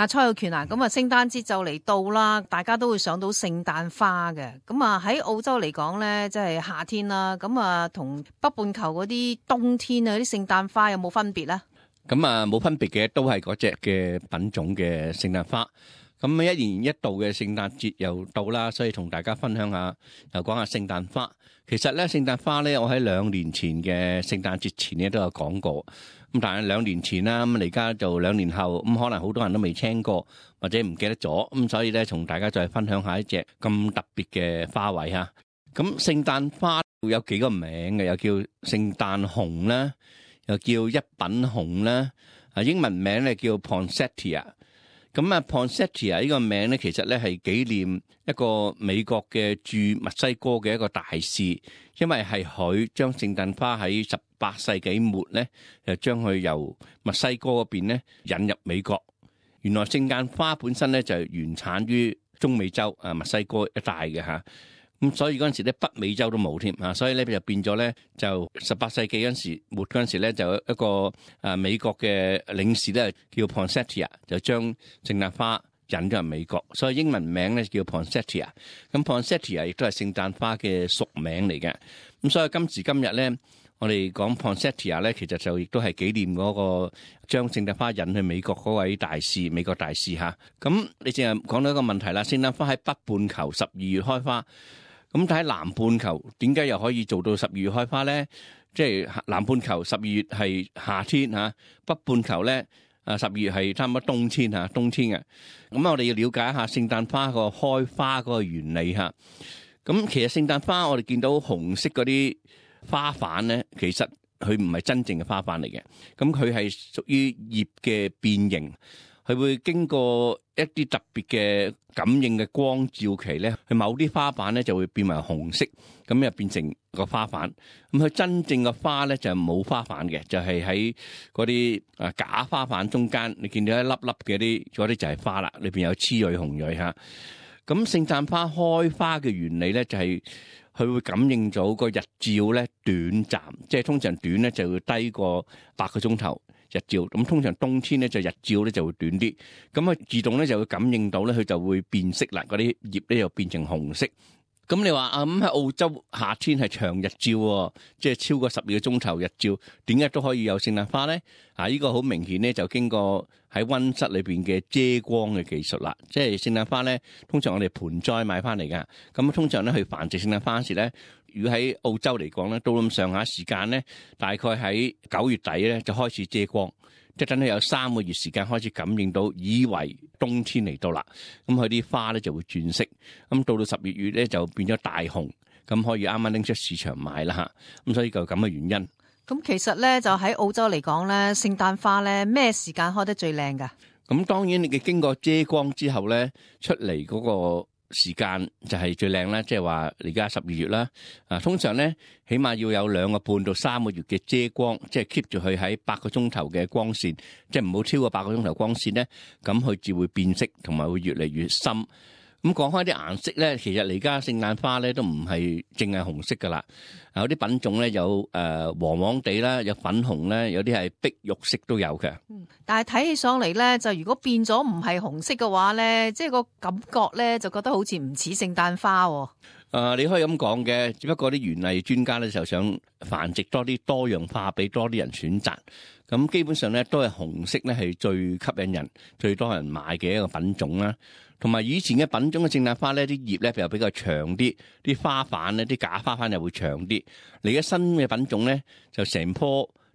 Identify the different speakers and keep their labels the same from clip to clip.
Speaker 1: 蔡浩權啊，咁啊聖誕節就嚟到啦，大家都會想到聖誕花嘅。咁啊喺澳洲嚟講咧，即係夏天啦，咁啊同北半球嗰啲冬天啊啲聖誕花有冇分別咧？
Speaker 2: 咁啊冇分別嘅，都係嗰隻嘅品種嘅聖誕花。咁一年一度嘅聖誕節又到啦，所以同大家分享下，又講下聖誕花。其實咧，聖誕花咧，我喺2年前嘅聖誕節前咧都有講過。咁但係2年前啦，咁而家就2年後，咁可能好多人都未聽過或者唔記得咗，咁所以咧，同大家再分享下一隻咁特別嘅花卉嚇。咁聖誕花有幾個名嘅，又叫聖誕紅啦，又叫一品紅啦，英文名咧叫 Poinsettia。咁啊 Poinsettia 呢個名咧，其實咧係紀念一個美國嘅駐墨西哥嘅一個大使，因為係佢將聖誕花喺18世紀末咧，就將佢由墨西哥嗰邊咧引入美國。原來聖誕花本身咧就原產於中美洲墨西哥一帶嘅嚇。咁所以嗰陣時咧，北美洲都冇添啊，所以咧就變咗咧，就18世紀嗰陣時末嗰陣時咧，就一個美國嘅領事咧叫 Poinsettia， 就將聖誕花引咗入美國，所以英文名咧叫 Poinsettia。咁 Poinsettia 亦都係聖誕花嘅屬名嚟嘅。咁所以今時今日咧，我哋講 Poinsettia 咧，其實就亦都係紀念嗰個將聖誕花引去美國嗰位大使，美國大使嚇。咁你淨係講到一個問題啦，聖誕花喺北半球12月開花。咁睇南半球點解又可以做到12月開花咧？即係南半球12月係夏天嚇，北半球咧12月係差唔多冬天嚇，冬天嘅。咁我哋要了解一下聖誕花個開花嗰個原理嚇。咁其實聖誕花我哋見到紅色嗰啲花瓣咧，其實佢唔係真正嘅花瓣嚟嘅。咁佢係屬於葉嘅變形。佢會經過一啲特別嘅感應嘅光照期咧，佢某啲花瓣咧就會變為紅色，咁又變成個花瓣。咁佢真正嘅花咧就冇花瓣嘅，就係喺嗰啲假花瓣中間，你見到一粒粒嘅嗰啲就係花啦，裏邊有雌蕊紅蕊嚇。咁聖誕花開花嘅原理咧就係佢會感應到個日照咧短暫，即係通常短咧就會低過8個鐘頭。日照咁通常冬天咧就日照咧就會短啲，咁佢自動咧就會感應到咧，佢就會變色啦，嗰啲葉咧又變成紅色。咁你話咁喺澳洲夏天係長日照，即係超過12個鐘頭日照，點解都可以有聖誕花咧？呢個好明顯咧就經過喺溫室裏邊嘅遮光嘅技術啦。即係聖誕花咧，通常我哋盆栽買翻嚟噶，咁通常咧去繁殖聖誕花時咧，如果喺澳洲嚟講咧，到咁上下時間咧，大概喺9月底咧就開始遮光，即係等佢有3個月時間開始感應到，以為冬天嚟到啦，咁佢啲花咧就會轉色，咁到12月咧就變咗大紅，咁可以啱啱拎出市場賣啦嚇，咁所以就咁嘅原因。
Speaker 1: 咁其實咧就喺澳洲嚟講咧，聖誕花咧咩時間開得最靚㗎？
Speaker 2: 咁當然你嘅經過遮光之後咧，出嚟嗰個時間就係最靚啦，即係話而家12月啦。通常咧起碼要有2個半到3個月嘅遮光，即係 keep 住佢喺8個鐘頭嘅光線，即係唔好超過8個鐘頭光線咧，咁佢至會變色同埋會越嚟越深。咁講開啲顏色咧，其實而家聖誕花咧都唔係淨係紅色噶啦，有啲品種咧有黃黃地啦，有粉紅咧，有啲係碧玉色都有嘅。
Speaker 1: 但係睇起上嚟咧，就如果變咗唔係紅色嘅話咧，即係個感覺咧就覺得好似唔似聖誕花。
Speaker 2: 你可以咁講嘅，只不過啲園藝專家咧就想繁殖多啲多樣化，俾多啲人選擇。咁基本上咧都係紅色咧係最吸引人、最多人買嘅一個品種啦。同埋以前嘅品種嘅聖誕花咧，啲葉咧又比較長啲，啲花瓣咧，啲假花瓣又會長啲。嚟嘅新嘅品種咧，就成棵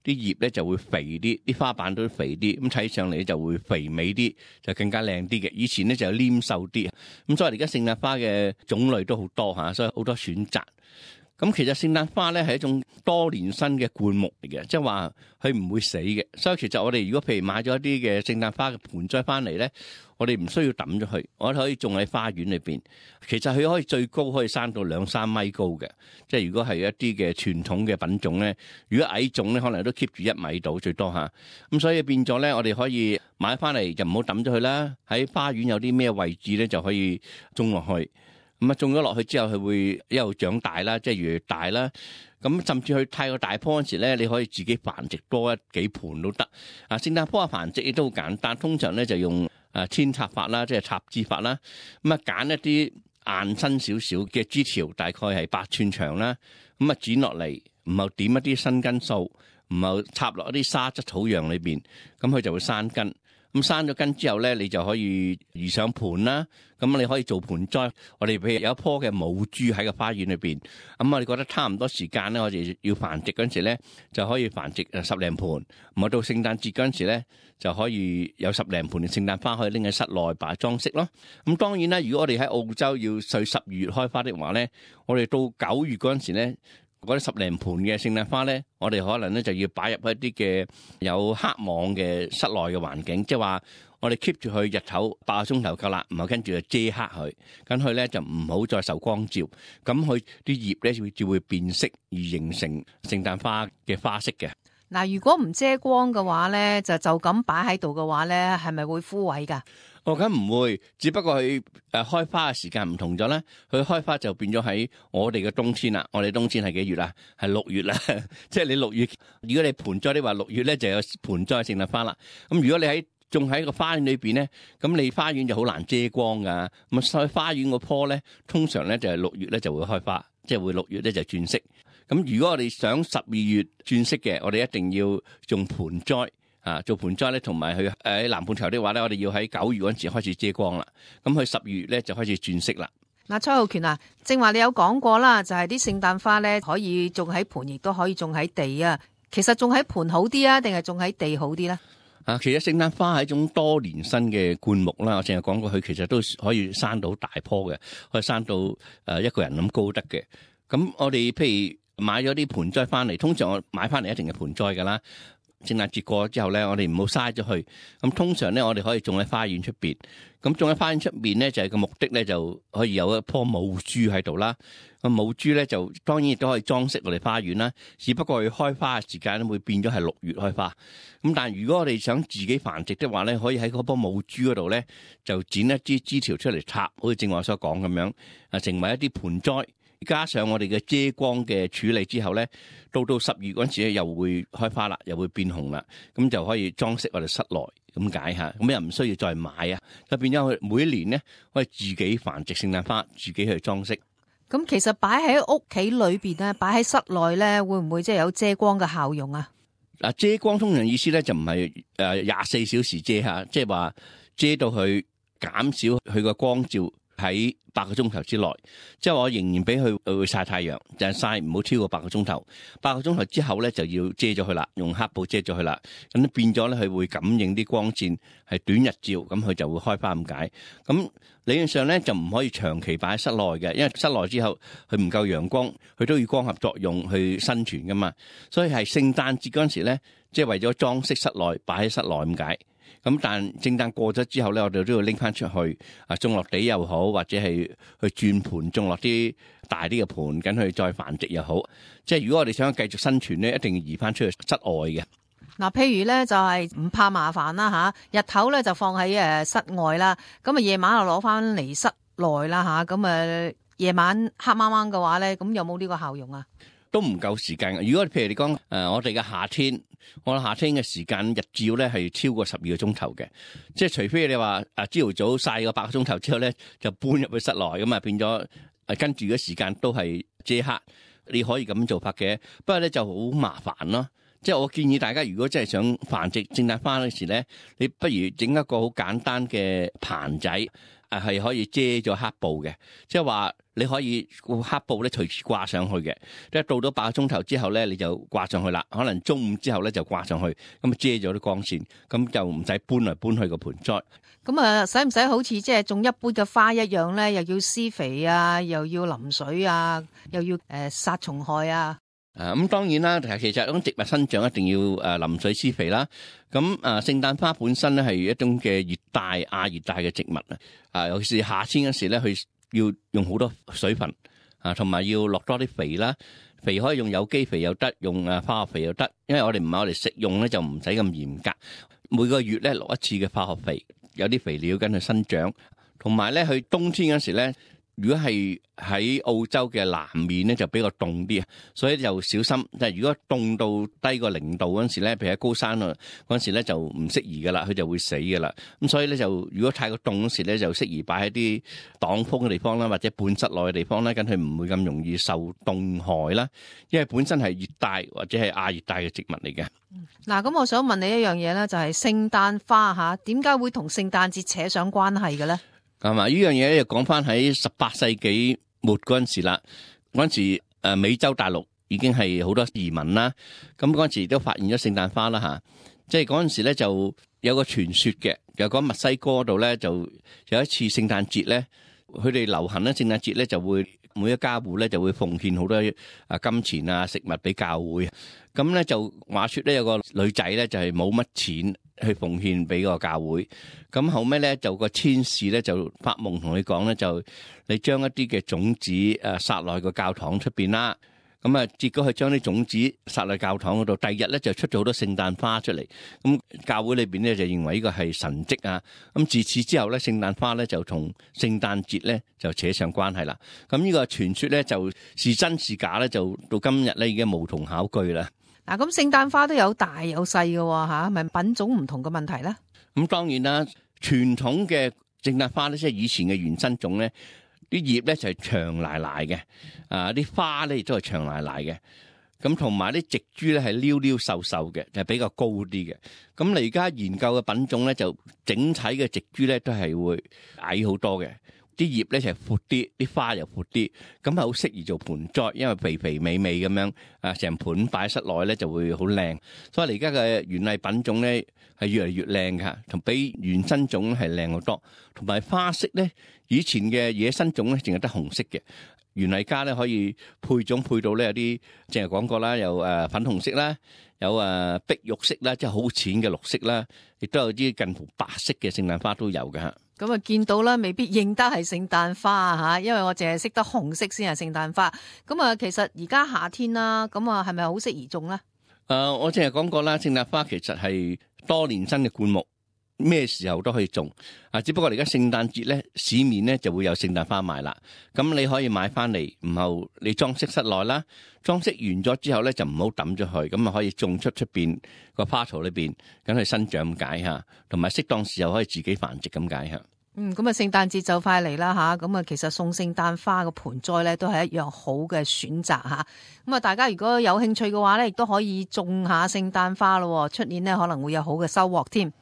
Speaker 2: 啲葉咧就會肥啲，啲花瓣都肥啲，咁睇上嚟就會肥美啲，就更加靚啲嘅。以前咧就黏瘦啲，咁所以而家聖誕花嘅種類都好多嚇，所以好多選擇。咁其實聖誕花咧係一種多年生嘅灌木嚟嘅，即係話佢唔會死嘅。所以其實我哋如果譬如買咗一啲嘅聖誕花嘅盆栽翻嚟咧，我哋唔需要抌咗佢，我哋可以種喺花園裏邊。其實佢可以最高可以生到2-3米高嘅，即係如果係一啲嘅傳統嘅品種咧，如果矮種咧可能都 keep 住1米到最多嚇。咁所以變咗咧，我哋可以買翻嚟就唔好抌咗佢啦。喺花園有啲咩位置咧就可以種落去。咁啊，種咗落去之後，佢會一路長大啦，即係越嚟越大啦。咁甚至佢太過大棵嗰時咧，你可以自己繁殖多幾盆都得。聖誕花嘅繁殖亦都好簡單，通常咧就用扦插法啦，即係插枝法啦。咁啊揀一啲硬身少少嘅枝條，大概係8寸長啦。咁啊剪落嚟，然後點一啲新根素，然後插落一啲沙質土壤裏邊，咁佢就會生根。咁生咗根之後咧，你就可以移上盤啦。咁你可以做盆栽。我哋譬如有一棵嘅母珠喺個花園裏邊，咁我哋覺得差唔多時間咧，我哋要繁殖嗰陣時咧，就可以繁殖10零盤。咁到聖誕節嗰陣時咧，就可以有10零盤嘅聖誕花可以拎喺室內擺裝飾咯。咁當然啦，如果我哋喺澳洲要12、12月開花的話咧，我哋到9月嗰陣時咧，嗰啲10零盤嘅聖誕花咧，我哋可能咧就要擺入一啲嘅有黑網嘅室內嘅環境，即係話我哋 keep 住佢日頭8個鐘頭夠啦，然後跟住就遮黑佢，咁佢咧就唔好再受光照，咁佢啲葉咧就會變色而形成聖誕花嘅花色嘅。
Speaker 1: 嗱，如果唔遮光嘅話咧，就咁擺喺度嘅話咧，係咪會枯萎㗎？
Speaker 2: 咁唔會，只不過佢開花嘅時間唔同咗咧。佢開花就變咗喺我哋嘅冬天啦。我哋冬天係幾月啦？係6月啦。即係你6月，如果你盆栽，你話6月咧就有盆栽聖誕花啦。咁如果你種喺個花園裏邊咧，咁你花園就好難遮光噶。咁所以花園個棵咧，通常咧就係6月咧就會開花，即係會6月咧就轉色。咁如果我哋想12月轉色嘅，我哋一定要種盆栽。做盆栽咧，同埋佢喺南半球的話咧，我哋要喺9月嗰陣時開始遮光啦。咁佢12月咧就開始轉色啦。
Speaker 1: 嗱，蔡浩權啊，正話你有講過啦，就係啲聖誕花咧可以種喺盆，亦都可以種喺地啊。其實種喺盆好啲啊，定係種喺地好啲咧？
Speaker 2: 其實聖誕花係一種多年生嘅灌木啦。我淨係講過，佢其實都可以生到大棵嘅，可以生到一個人咁高得嘅。咁我哋譬如買咗啲盆栽翻嚟，通常我買翻嚟一定係盆栽噶啦。聖誕節過咗之後咧，我哋唔好嘥咗佢。咁通常咧，我哋可以種喺花園出邊。咁種喺花園出邊咧，就係個目的咧，就可以有一棵母珠喺度啦。個母珠咧，就當然亦都可以裝飾我哋花園啦。只不過佢開花嘅時間會變咗係6月開花。咁但係如果我哋想自己繁殖的話咧，可以喺嗰棵母珠嗰度咧，就剪一支枝條出嚟插，好似正話所講咁樣，成為一啲盆栽。加上我哋嘅遮光嘅處理之後咧，到10月嗰陣時咧又會開花啦，又會變紅啦，咁就可以裝飾我哋室內咁解下，咁又唔需要再買啊，就變咗佢每一年咧可以自己繁殖聖誕花，自己去裝飾。
Speaker 1: 咁其實擺喺屋企裏邊咧，擺喺室內咧，會唔會即係有遮光嘅效用啊？
Speaker 2: 遮光通常意思咧就唔係24小時遮下，即係話遮到佢減少佢個光照喺8個鐘頭之內，即係我仍然俾佢會曬太陽，就係曬唔好超過8個鐘頭。8個鐘頭之後咧就要遮咗佢啦，用黑布遮咗佢啦。咁變咗咧佢會感應啲光線係短日照，咁佢就會開花咁解。咁理論上咧就唔可以長期擺喺室內嘅，因為室內之後佢唔夠陽光，佢都要光合作用去生存噶嘛。所以係聖誕節嗰陣時咧，即係為咗裝飾室內擺喺室內咁解。咁但聖誕過咗之後咧，我哋都要拎翻出去種落地又好，或者係去轉盤種落啲大啲嘅盤，緊去再繁殖又好。即係如果我哋想繼續生存咧，一定要移翻出去室外嘅。
Speaker 1: 嗱，譬如咧就係唔怕麻煩啦嚇，日頭咧就放喺室外啦，咁啊夜晚就攞翻嚟室內啦嚇，咁啊夜晚黑掹掹嘅話咧，咁有冇呢個效用啊？
Speaker 2: 都唔夠時間。如果譬如你講我哋嘅夏天，我哋夏天嘅時間日照咧係超過12個鐘頭嘅，即係除非你話朝頭早曬個8個鐘頭之後咧，就搬入去室內咁啊，變咗跟住嘅時間都係遮黑。你可以咁做法嘅，不過咧就好麻煩咯。即係我建議大家，如果真係想繁殖聖誕花嗰時咧，你不如整一個好簡單嘅棚仔，係可以遮咗黑布嘅，即係話你可以個黑布咧隨時掛上去嘅。即係到咗8個鐘頭之後咧，你就掛上去啦。可能中午之後咧就掛上去，咁啊遮咗啲光線，咁就唔使搬嚟搬去個盆栽。
Speaker 1: 咁啊，使唔使好似即係種一般嘅花一樣咧？又要施肥啊，又要淋水啊，又要殺蟲害啊？
Speaker 2: 咁當然啦，其實種植物生長一定要淋水施肥啦。咁聖誕花本身咧係一種嘅熱帶亞熱帶嘅植物啊，尤其是夏天嗰時咧，佢要用好多水分同埋要落多啲肥啦。肥可以用有機肥又得，用化學肥又得。因為我哋唔係我哋食用咧，就唔使咁嚴格。每個月咧落一次嘅化學肥，有啲肥料跟佢生長。同埋咧，佢冬天嗰時咧，如果係喺澳洲嘅南面咧，就比較凍啲啊，所以就小心。但係如果凍到低過0度嗰陣時咧，譬如喺高山啊嗰陣時咧，就唔適宜噶啦，佢就會死噶啦。咁所以咧就如果太過凍嗰時咧，就適宜擺喺啲擋風嘅地方啦，或者半室內嘅地方咧，咁佢唔會咁容易受凍害啦。因為本身係熱帶或者係亞熱帶嘅植物嚟嘅。
Speaker 1: 嗱，咁我想問你一樣嘢咧，就係聖誕花吓，點解會同聖誕節扯上關係嘅咧？
Speaker 2: 係嘛？呢樣嘢咧，就講翻喺18世紀末嗰陣時啦。嗰陣時美洲大陸已經係好多移民啦。咁嗰陣時都發現咗聖誕花啦吓。即係嗰陣時咧就有個傳說嘅，又講墨西哥度咧就有一次聖誕節咧，佢哋流行咧聖誕節咧就會每一家戶咧就會奉獻好多金錢啊食物俾教會。咁咧就話說咧有個女仔咧就係冇乜錢去奉獻俾個教會，咁後尾咧就個天使咧就發夢同佢講咧，就你將一啲嘅種子撒落去個教堂出邊啦，咁啊結果佢將啲種子撒落教堂嗰度，第二日咧就出咗好多聖誕花出嚟，咁教會裏邊咧就認為呢個係神蹟啊，咁自此之後咧聖誕花咧就同聖誕節咧就扯上關係啦，咁呢個傳說咧就是真是假咧就到今日咧已經無從考據啦。
Speaker 1: 嗱，咁聖誕花都有大有細嘅吓，係咪品種唔同嘅問題咧？
Speaker 2: 咁當然啦，傳統嘅聖誕花咧，即係以前嘅原生種咧，啲葉咧就係長賴賴嘅，啲花咧亦都係長賴賴嘅，咁同埋啲植株咧係溜溜瘦瘦嘅，就係比較高啲嘅。咁你而家研究嘅品種咧，就整體嘅植株咧都係會矮好多嘅。啲葉咧就係闊啲，啲花又闊啲，咁係好適宜做盆栽，因為肥肥美美咁樣，成盆擺喺室內咧就會好靚。所以而家嘅園藝品種咧係越嚟越靚㗎，同比原生種係靚好多。同埋花色咧，以前嘅野生種咧淨係得紅色嘅，園藝家咧可以配種配到咧有啲，淨係講過啦，有粉紅色啦，有碧玉色啦，即係好淺嘅綠色啦，亦都有啲近乎白色嘅聖誕花都有㗎。
Speaker 1: 咁啊，見到啦，未必認得係聖誕花吓，因為我淨係識得紅色先係聖誕花。咁啊，其實而家夏天啦，咁啊，係咪好適宜種咧？
Speaker 2: 我淨係講過啦，聖誕花其實係多年生嘅灌木，咩時候都可以種。只不過而家聖誕節咧，市面咧就會有聖誕花賣啦。咁你可以買翻嚟，然後你裝飾室內啦，裝飾完咗之後咧就唔好抌咗去，咁啊可以種出邊個花槽裏邊，咁去生長咁解吓，同埋適當時候可以自己繁殖咁解吓。
Speaker 1: 咁啊，聖誕節就快嚟啦吓，咁啊，其實送聖誕花個盆栽咧都係一樣好嘅選擇吓。咁啊，大家如果有興趣嘅話咧，亦都可以種下聖誕花咯，出年咧可能會有好嘅收穫添。